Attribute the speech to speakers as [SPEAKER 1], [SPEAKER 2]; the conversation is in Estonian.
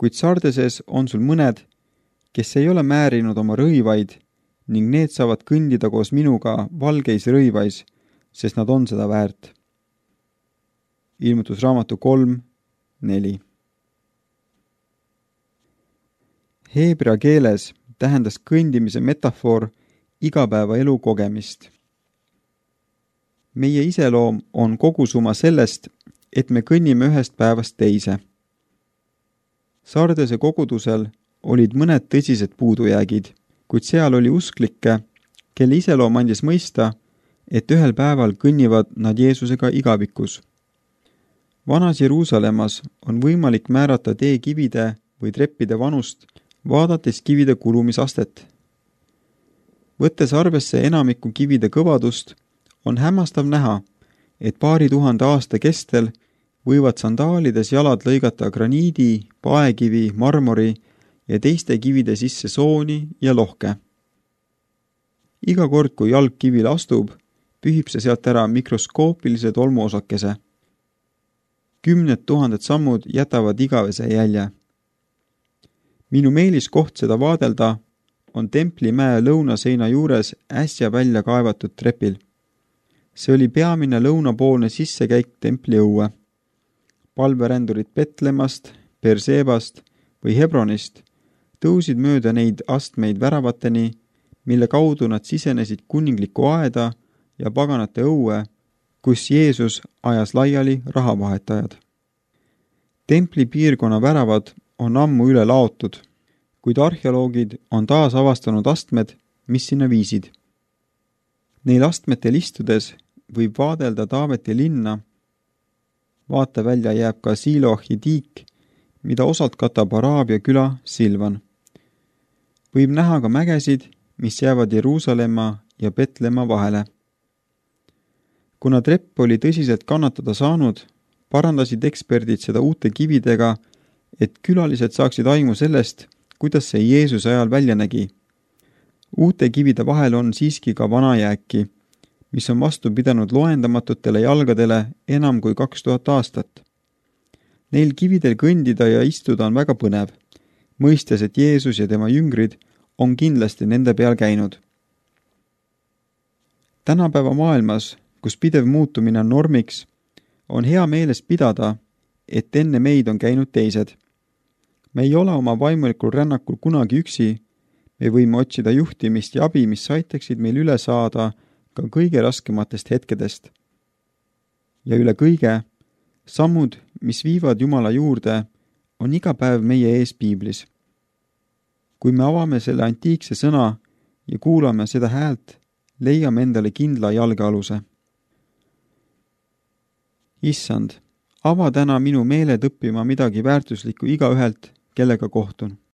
[SPEAKER 1] kuid Sardeses on sul mõned, kes ei ole määrinud oma rõivaid ning need saavad kõndida koos minuga valgeis rõivais, sest nad on seda väärt. Ilmutusraamatu 3:4. Heebrea keeles tähendas kõndimise metafoor igapäevaelu kogemist. Meie iseloom on kogusumma sellest, et me kõnnime ühest päevast teise. Sardese kogudusel olid mõned tõsised puudujäägid, kuid seal oli usklikke, kelle iseloom andis mõista, et ühel päeval kõnnivad nad Jeesusega igavikus. Vanas Jeruusalemmas on võimalik määrata tee kivide või treppide vanust, vaadates kivide kulumisastet. Võttes arvesse enamiku kivide kõvadust, on hämmastav näha, et paari tuhande aasta kestel võivad sandaalides jalad lõigata graniidi, paekivi, marmori ja teiste kivide sisse sooni ja lohke. Iga kord, kui jalg kivile astub, pühib see sealt ära mikroskoopilise tolmuosakese. 10 000 sammud jätavad igavese jälje. Minu meelis koht seda vaadelda on Templimäe lõunaseina juures äsja välja kaevatud trepil. See oli peamine lõunapoolne sissekäik templi õue. Palverändurid Betlemmast, Persebast või Hebronist tõusid mööda neid astmeid väravateni, mille kaudu nad sisenesid kuninglikku aeda ja paganate õue, kus Jeesus ajas laiali rahavahetajad. Templi piirkonna väravad on ammu üle laotud, kuid arheoloogid on taas avastanud astmed, mis sinna viisid. Neil astmetel istudes võib vaadelda Taaveti linna. Vaatevälja jääb ka Siloahi tiik, mida osalt katab Araabia küla Silvan. Võib näha ka mägesid, mis jäävad Jeruusalemma ja Betlemma vahele. Kuna trepp oli tõsiselt kannatada saanud, parandasid eksperdid seda uute kividega, et külalised saaksid aimu sellest, kuidas see Jeesuse ajal välja nägi. Uute kivide vahel on siiski ka vana jääki, mis on vastu pidanud loendamatutele jalgadele enam kui 2000 aastat. Neil kividel kõndida ja istuda on väga põnev, mõistes, et Jeesus ja tema jüngrid on kindlasti nende peal käinud. Tänapäeva maailmas, kus pidev muutumine on normiks, on hea meeles pidada, et enne meid on käinud teised. Me ei ole oma vaimulikul rännakul kunagi üksi, me võime otsida juhtimist ja abi, mis aitaksid meil üle saada ka kõige raskematest hetkedest. Ja üle kõige, sammud, mis viivad Jumala juurde, on iga päev meie ees piiblis. Kui me avame selle antiikse sõna ja kuulame seda häält, leiame endale kindla jalgealuse. Issand, ava täna minu meeled õppima midagi väärtuslikku igaühelt, kellega kohtun.